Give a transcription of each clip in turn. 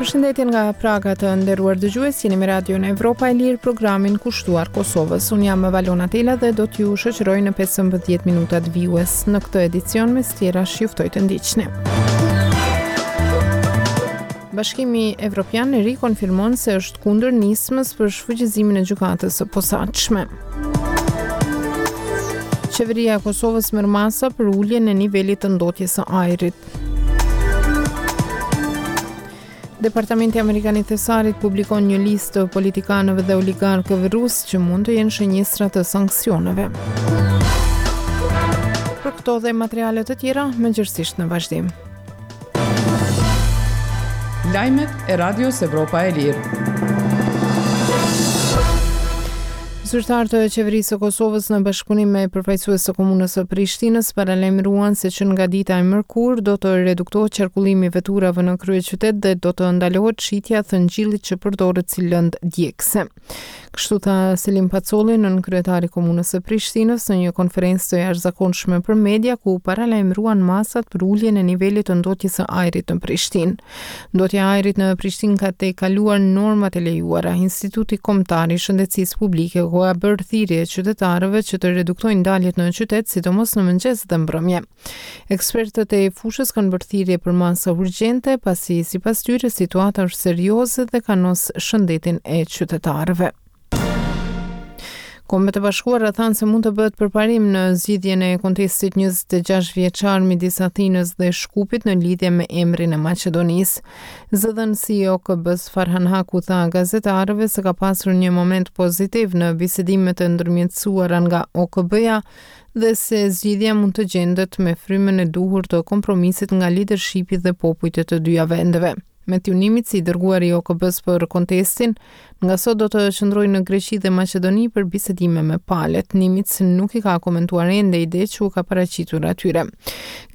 Përshëndetje nga Praga të nderuar dëgjues, jeni me Radion Evropa e Lirë, programin kushtuar Kosovës. Unë jam Valona Tela dhe do t'ju shoqëroj në 15 minutat vijues. Në këtë edicion mes tjerash ju ftoj të ndiqni. Bashkimi Evropian rikonfirmon se është kundër nismës për shfuqizimin e gjykatës së posaçme. Qeveria e Kosovës merr masa për uljen e nivelit të ndotjes së ajrit. Departamenti Amerikan i Thesarit publikon një listë të politikanëve dhe oligarkëve rusë që mund të jenë shënjestra të sanksioneve. Për këto dhe materiale të tjera, më gjerësisht në vazhdim. Lajmet e Radios Evropa e Lirë. Zyrtarë të qeverisë së Kosovës në bashkëpunim me përfaqësues të komunës së Prishtinës paralajmëruan se që nga dita e mërkurë do të reduktohet qarkullimi i veturave në kryeqytet dhe do të ndalohet shitja e thëngjillit që përdoret si lëndë djegëse. Kështu tha Selim Pacolli, nënkryetari i Komunës së Prishtinës, në një konferencë të jashtëzakonshme për media ku paralajmëruan masat për uljen e nivelit të ndotjes së ajrit në Prishtinë. Ndotja e ajrit në Prishtinë ka tejkaluar normat e lejuara. Instituti Kombëtar i Shëndetësisë Publike u ka bërë thirrje qytetarëve që të reduktojnë daljet në qytet, sidomos në mëngjes dhe mbrëmje. Ekspertët e fushës kanë bërë thirrje për masa urgjente, pasi sipas tyre situata është serioze dhe kanos shëndetin e qytetarëve. Kombet e Bashkuara thanë se mund të bëhet përparim në zgjidhjen e kontestit 26 vjeçar midis Athinës dhe Shkupit në lidhje me emrin e Maqedonisë. Zëdhënësi i OKB-së Farhan Haq u tha gazetarëve se ka pasur një moment pozitiv në bisedimet e ndërmjetësuara nga OKB-ja dhe se zgjidhja mund të gjendet me frymën e duhur të kompromisit nga lidershipi dhe popujt e të dyja vendeve. Matthew Nimitz, i dërguari i OKB-së për kontestin, nga sot do të qëndrojë në Greqi dhe Maqedoni për bisedime me palët. Nimitz nuk i ka komentuar ende idetë që u ka paraqitur atyre.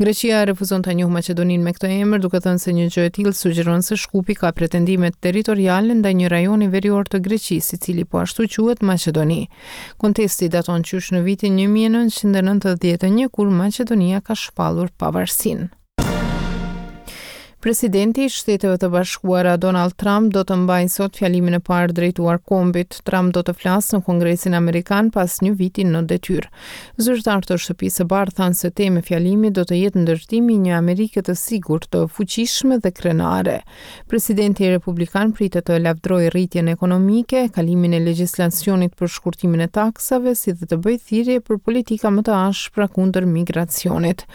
Greqia refuzon ta njohë Maqedoninë me këtë emër, duke thënë se një gjë e tillë sugjeron se Shkupi ka pretendime territoriale ndaj një rajoni verior të Greqisë, i cili po ashtu quhet Maqedoni. Kontesti daton qysh në vitin 1991 kur Maqedonia ka shpallur pavarësinë. Presidenti i Shteteve të Bashkuara Donald Trump do të mbajë sot fjalimin e parë drejtuar kombit. Trump do të flasë në Kongresin Amerikan pas një viti në detyrë. Zyrtarë të Shtëpisë së Bardhë thanë se temë e fjalimit do të jetë ndërtimi i një Amerike të sigurt, të fuqishme dhe krenare. Presidenti republikan pritet të lavdërojë rritjen ekonomike, kalimin e legjislacionit për shkurtimin e taksave, si dhe të bëjë thirrje për politika më të ashpra kundër migracionit.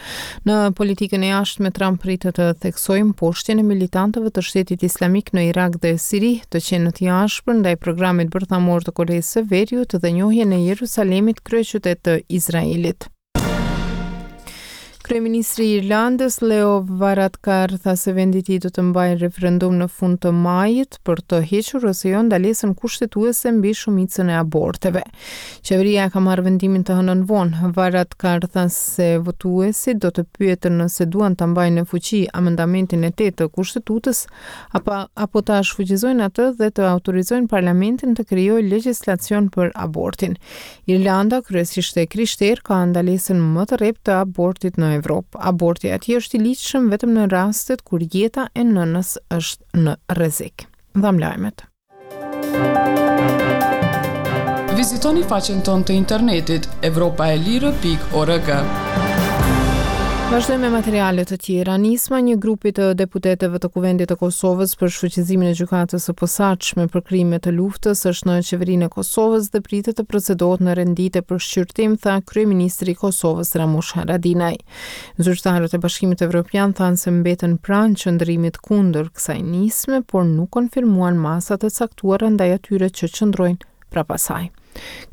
Në politikën e jashtme, Trump pritet të theksojë mposhtjen e militantëve të Shtetit Islamik në Irak dhe Siri, të qenët i ashpër ndaj programit bërthamor të Koresë së Veriut dhe njohjen e Jerusalemit kryeqytet të Izraelit. Kryeministri i Irlandës, Leo Varadkar, tha se vendi i tij do të mbajë referendum në fund të majit për të hequr ose jo ndalesën kushtetuese mbi shumicën e aborteve. Qeveria e ka marrë vendimin të hënën vonë. Varadkar tha se votuesit do të pyeten nëse duan ta mbajnë në fuqi amendamentin e 8 të kushtetutës apo apo ta shfuqizojnë atë dhe të autorizojnë parlamentin të krijojë legjislacion për abortin. Irlanda, kryesisht e krishterë, ka ndalesën më të rreptë të abortit në Evropë. Aborti atje është i ligjshëm vetëm në rastet kur jeta e nënës është në rrezik. Dhamë lajmet. Vizitoni faqen tonë të internetit evropaelire.org. Vazhdojmë me materiale të tjera. Nisma e një grupi të deputetëve të Kuvendit të Kosovës për shfuqizimin e gjykatës së posaçme për krime të luftës është në Qeverinë e Kosovës dhe pritet të procedohet në rend dite për shqyrtim, tha kryeministri i Kosovës Ramush Haradinaj. Zyrtarët e Bashkimit Evropian thanë se mbeten pranë qëndrimit kundër kësaj nisme, por nuk konfirmuan masat e caktuara ndaj atyre që qëndrojnë prapa saj.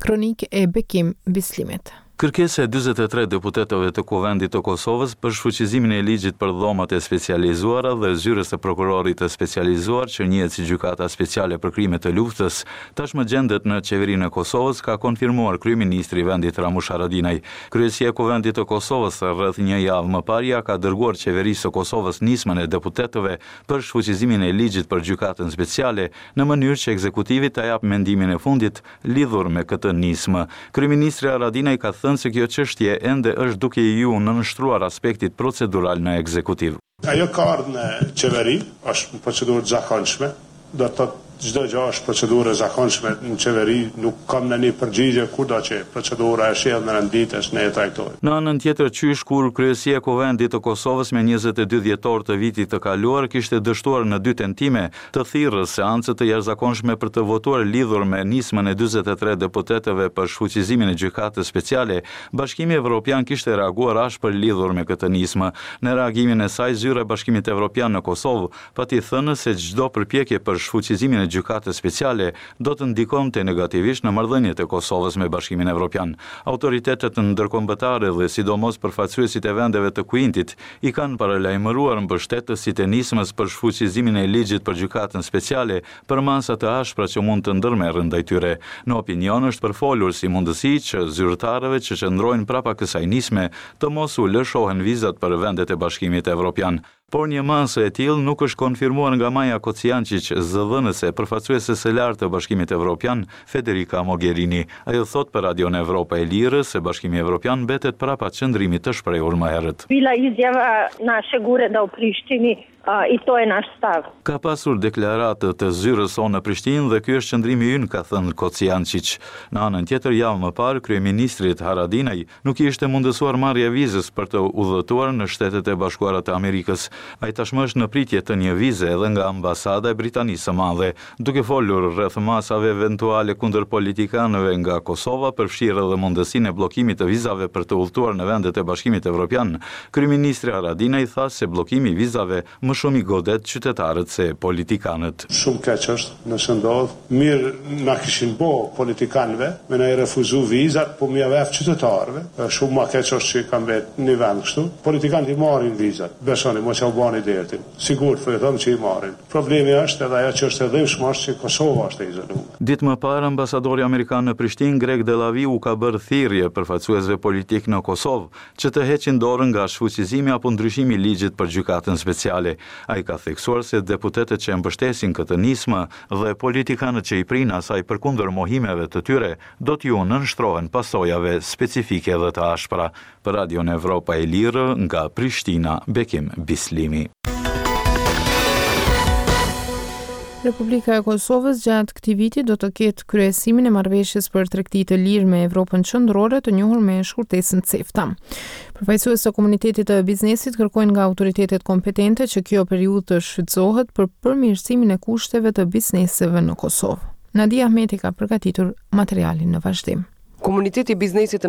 Kronikë e Bekim Bislimit. Kërkesa e 43 deputetëve të Kuvendit të Kosovës për shfuqizimin e Ligjit për Dhomat e Specializuara dhe Zyrës së Prokurorit të Specializuar që njihet si Gjykata Speciale për Krime të Luftës, tashmë gjendet në Qeverinë e Kosovës, ka konfirmuar kryeministri i vendit Ramush Haradinaj. Kryesia e Kuvendit të Kosovës rreth një javë më parë ia ka dërguar Qeverisë së Kosovës nismën e deputetëve për shfuqizimin e Ligjit për Gjykatën Speciale, në mënyrë që ekzekutivi ta japë mendimin e fundit lidhur me këtë nismë. Kryeministri Haradinaj ka thënë. thënë se kjo çështje ende është duke iu nënshtruar aspektit procedural në ekzekutiv. Ajo ka ardhë në qeveri, është në procedurë të zakonshme, do të thotë çdo gjë është procedurë e zakonshme në qeveri, nuk kam ndonjë përgjigje kurdo që procedura e sjell në rend ditës ne e trajtojmë. Në anën tjetër qysh kur Kryesia e Kuvendit të Kosovës me 22 dhjetor të vitit të kaluar kishte dështuar në dy tentime të thirrë seancë të jashtëzakonshme për të votuar lidhur me nismën e 43 deputetëve për shfuqizimin e Gjykatës Speciale, Bashkimi Evropian kishte reaguar ashpër lidhur me këtë nismë. Në reagimin e saj, Zyra e Bashkimit Evropian në Kosovë pati thënë se çdo përpjekje për shfuqizimin e Gjykatës Speciale do të ndikonte negativisht në marrëdhëniet e Kosovës me Bashkimin Evropian. Autoritetet ndërkombëtare dhe sidomos përfaqësuesit e vendeve të Kuintit i kanë paralajmëruar mbështetësit e nismës për shfuqizimin e ligjit për Gjykatën Speciale për masa të ashpra që mund të ndërmerren ndaj tyre. Në opinion është përfolur si mundësi që zyrtarëve që qëndrojnë prapa kësaj nisme të mos u lëshohen vizat për vendet e Bashkimit Evropian. Por një masë e tillë nuk është konfirmuar nga Maja Kocijançiq, zëdhënëse e përfaqësueses së lartë të Bashkimit Evropian, Federica Mogherini. Ajo thotë për Radion Evropa e Lirë se Bashkimi Evropian mbetet prapa qëndrimit të shprehur më herët. Bila izjava našeg ureda u Prištini i to je naš stav. Ka pasur deklaratë të zyrës sonë në Prishtinë dhe ky është qëndrimi ynë, ka thënë Kocijançiq. Në anën tjetër, javë më parë, kryeministrit Haradinaj nuk i ishte mundësuar marrja e vizës për të udhëtuar në Shtetet e Bashkuara të Amerikës. Ai tashmë është në pritje të një vize edhe nga Ambasada e Britanisë së Madhe. Duke folur rreth masave eventuale kundër politikanëve nga Kosova, përfshirë edhe mundësinë e bllokimit të vizave për të udhëtuar në vendet e Bashkimit Evropian, kryeministri Haradinaj tha se bllokimi i vizave më shumë i godet qytetarët se politikanët. Shumë keq është nëse ndodh, mirë na kishin bo politikanëve me na i refuzu vizat, po me jau jap qytetarëve, shumë ma keq është që ka mbet një vend kështu. Politikanët i marrin vizat, besoni, mos jau bani dertin, sigurt po ju them që i marrin. Problemi është edhe ajo që është e dhimbshme është që Kosova është e izolume. Ditë më parë, ambasadori amerikan në Prishtinë, Greg Delawie u ka bërë thirrje përfaqësuesve politikë në Kosovë, që të heqin dorë nga shfuqizimi apo ndryshimi i ligjit për Gjykatën Speciale. Ai ka theksuar se deputetët që e mbështesin këtë nismë dhe politikanët që i prijnë asaj përkundër mohimeve të tyre, do t'iu nënshtrohen pasojave specifike dhe të ashpra. Për Radion Evropa e Lirë, nga Prishtina, Bekim Bislimi. Republika e Kosovës gjatë këtij viti do të ketë kryesimin e marrëveshjes për tregti të lirë me Evropën Qendrore, të njohur me shkurtesën CEFTA. Përfaqësues të komunitetit të biznesit kërkojnë nga autoritetet kompetente që kjo periudhë të shfrytëzohet për përmirësimin e kushteve të bizneseve në Kosovë. Nadia Ahmeti ka përgatitur materialin në vazhdim. Komuniteti i biznesit.